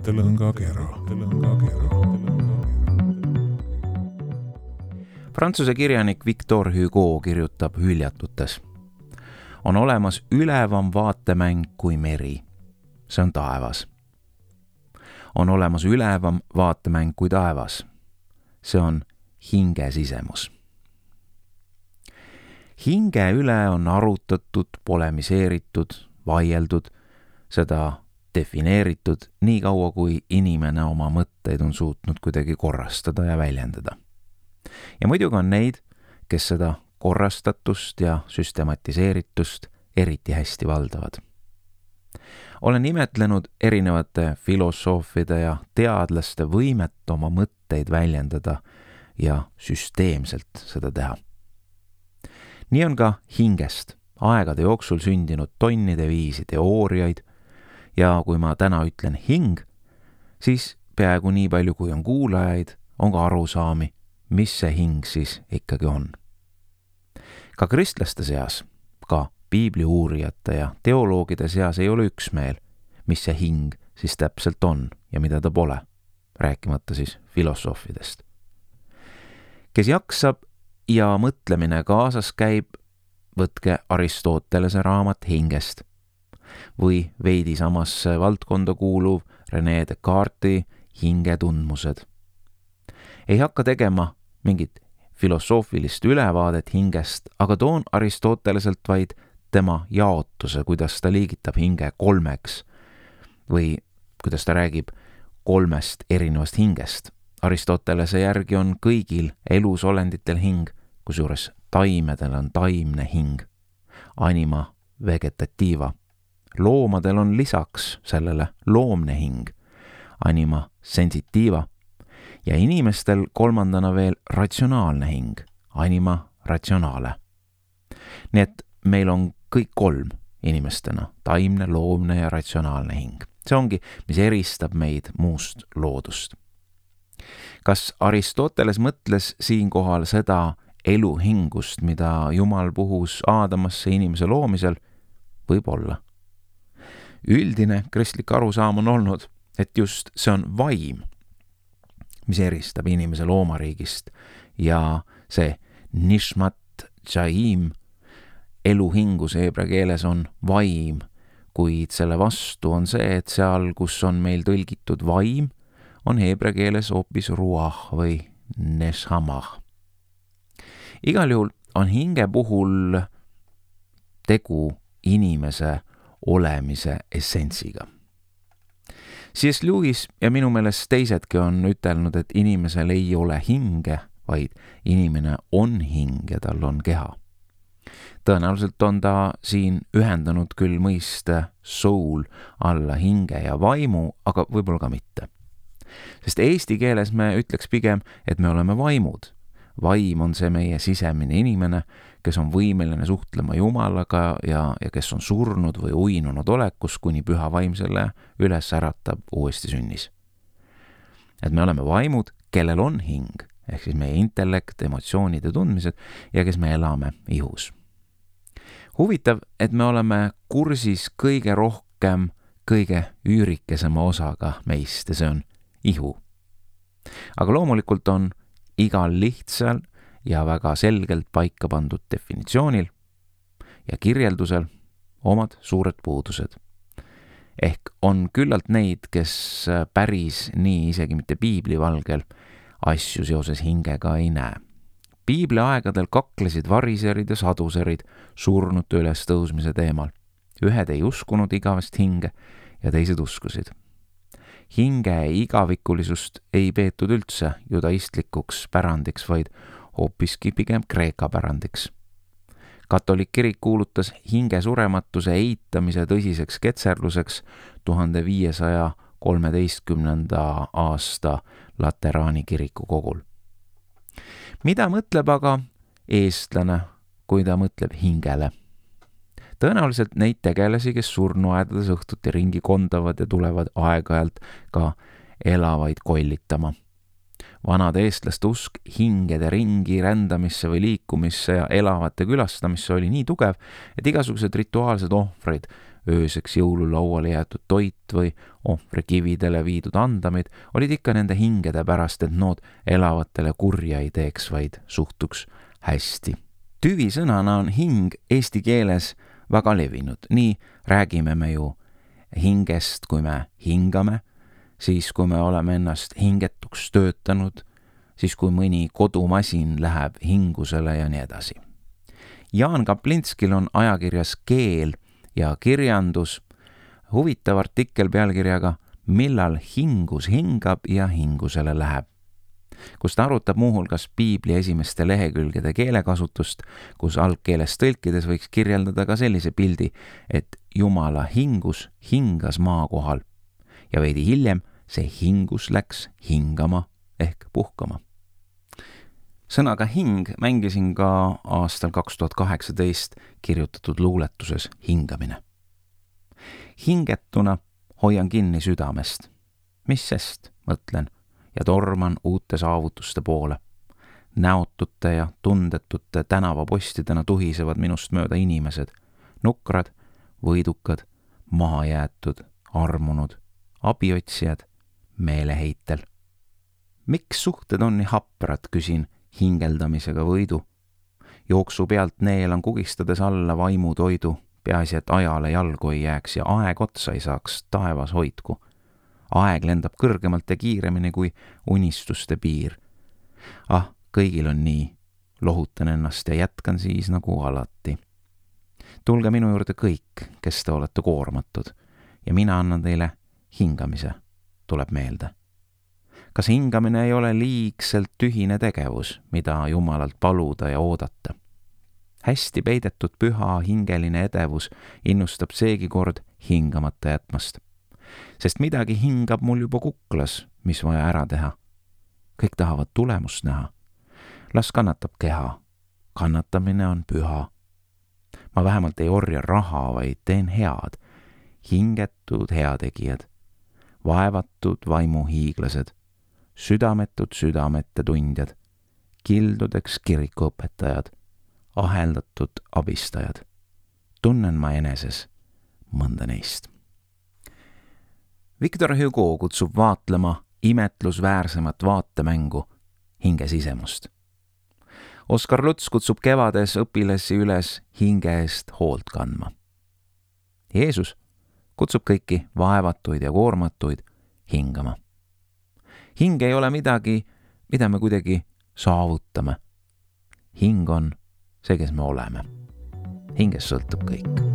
mõttelõngakera. Prantsuse kirjanik Victor Hugo kirjutab Hüljatutes. On olemas ülevam vaatemäng kui meri. See on taevas. On olemas ülevam vaatemäng kui taevas. See on hinge sisemus. Hinge üle on arutatud, polemiseeritud, vaieldud, seda defineeritud nii kaua, kui inimene oma mõtteid on suutnud kuidagi korrastada ja väljendada. Ja muidugi on neid, kes seda korrastatust ja süstematiseeritust eriti hästi valdavad. Olen imetlenud erinevate filosoofide ja teadlaste võimet oma mõtteid väljendada ja süsteemselt seda teha. Nii on ka hingest aegade jooksul sündinud tonnide viisi teooriaid ja kui ma täna ütlen hing, siis peaaegu nii palju kui on kuulajaid, on ka arusaami, mis see hing siis ikkagi on. Ka kristlaste seas, ka piibli uurijate ja teoloogide seas ei ole üksmeel, mis see hing siis täpselt on ja mida ta pole, rääkimata siis filosoofidest. Kes jaksab ja mõtlemine kaasas käib, võtke Aristotelese raamat hingest või veidi samasse valdkonda kuuluv René Descartesi hingetundmused. Ei hakka tegema mingit filosoofilist ülevaadet hingest, aga toon Aristoteleselt vaid tema jaotuse, kuidas ta liigitab hinge kolmeks või kuidas ta räägib kolmest erinevast hingest. Aristotelese järgi on kõigil elusolenditel hing, kusjuures taimedel on taimne hing, anima vegetatiiva. Loomadel on lisaks sellele loomne hing, anima sensitiiva, ja inimestel kolmandana veel ratsionaalne hing, anima ratsionaale. Nii et meil on kõik kolm inimestena, taimne, loomne ja ratsionaalne hing. See ongi, mis eristab meid muust loodust. Kas Aristoteles mõtles siinkohal seda eluhingust, mida Jumal puhus Aadamasse inimese loomisel? Võib-olla. Üldine kristlik arusaam on olnud, et just see on vaim, mis eristab inimese loomariigist ja see nishmat chaim eluhingus heebrea keeles on vaim, kuid selle vastu on see, et seal, kus on meil tõlgitud vaim, on heebrea keeles hoopis ruah või neshamah. Igal juhul on hinge puhul tegu inimese olemise essentsiga. C.S. Lewis ja minu meelest teisedki on ütelnud, et inimesel ei ole hinge, vaid inimene on hing ja tal on keha. Tõenäoliselt on ta siin ühendanud küll mõiste soul alla hinge ja vaimu, aga võib-olla ka mitte. Sest eesti keeles me ütleks pigem, et me oleme vaimud. Vaim on see meie sisemine inimene, kes on võimeline suhtlema Jumalaga ja kes on surnud või uinunud olekus, kuni püha vaim selle üles äratab uuesti sünnis. Et me oleme vaimud, kellel on hing, ehk siis meie intellekt, emotsioonid ja tundmised ja kes me elame ihus. Huvitav, et me oleme kursis kõige rohkem, kõige üürikesema osaga meist ja see on ihu. Aga loomulikult on igal lihtsal ja väga selgelt paika pandud definitsioonil ja kirjeldusel omad suured puudused. Ehk on küllalt neid, kes päris nii isegi mitte piibli valgel asju seoses hingega ei näe. Piibli aegadel kaklesid variserid ja saduserid surnute üles tõusmise teemal. Ühed ei uskunud igavest hinge ja teised uskusid. Hinge igavikulisust ei peetud üldse judaistlikuks pärandiks, vaid hoopiski pigem Kreeka pärandiks. Katolik kirik kuulutas hinge surematuse eitamise tõsiseks ketserluseks 1513. aasta Lateraani kiriku kogul. Mida mõtleb aga eestlane, kui ta mõtleb hingele? Tõenäoliselt neid tegelasi, kes surnuaedades õhtuti ringi kondavad ja tulevad aeg-ajalt ka elavaid kollitama. Vanade eestlaste usk hingede ringi rändamisse või liikumisse ja elavate külastamisse oli nii tugev, et igasugused rituaalsed ohvrid ööseks jõululauale jäetud toit või ohvrikividele viidud andamid olid ikka nende hingede pärast, et nood elavatele kurja ei teeks, vaid suhtuks hästi. Tüvisõnana on hing eesti keeles väga levinud. Nii räägime me ju hingest, kui me hingame, siis kui me oleme ennast hingetuks töötanud, siis kui mõni kodumasin läheb hingusele ja nii edasi. Jaan Kaplinskil on ajakirjas Keel ja kirjandus huvitav artikkel pealkirjaga Millal hingus hingab ja hingusele läheb, kus ta arutab muuhulgas piibli esimeste lehekülgede keelekasutust, kus algkeeles tõlkides võiks kirjeldada ka sellise pildi, et Jumala hingus hingas maa kohal ja veidi hiljem see hingus läks hingama ehk puhkama. Sõnaga hing mängisin ka aastal 2018 kirjutatud luuletuses Hingamine. Hingetuna hoian kinni südamest. Mis sest, mõtlen, ja torman uute saavutuste poole. Näotute ja tundetute tänavapostidena tuhisevad minust mööda inimesed. Nukrad, võidukad, mahajäetud, armunud, abiotsijad, meeleheitel. Miks suhted on nii haprad, küsin hingeldamisega võidu. Jooksu pealt neelan kugistades alla vaimutoidu, peaasi, et ajale jalgu ei jääks ja aeg otsa ei saaks, taevas hoidku. Aeg lendab kõrgemalt ja kiiremini kui unistuste piir. Kõigil on nii. Lohutan ennast ja jätkan siis nagu alati. Tulge minu juurde kõik, kes te olete koormatud ja mina annan teile hingamise, tuleb meelde. Kas hingamine ei ole liigselt tühine tegevus, mida Jumalalt paluda ja oodata? Hästi peidetud püha hingeline edevus innustab seegi kord hingamata jätmast. Sest midagi hingab mul juba kuklas, mis vaja ära teha. Kõik tahavad tulemust näha. Las kannatab keha. Kannatamine on püha. Ma vähemalt ei orja raha, vaid teen head. Hingetud heategijad. Vaevatud vaimuhiiglased. Südametud südamete tundjad, kildudeks kirikuõpetajad, aheldatud abistajad. Tunnen ma eneses mõnda neist. Victor Hugo kutsub vaatlema imetlusväärsemat vaatemängu hinge sisemust. Oskar Luts kutsub kevades õpilasi üles hinge eest hoolt kandma. Jeesus kutsub kõiki vaevatuid ja koormatuid hingama. Hing ei ole midagi, mida me kuidagi saavutame. Hing on see, kes me oleme. Hingest sõltub kõik.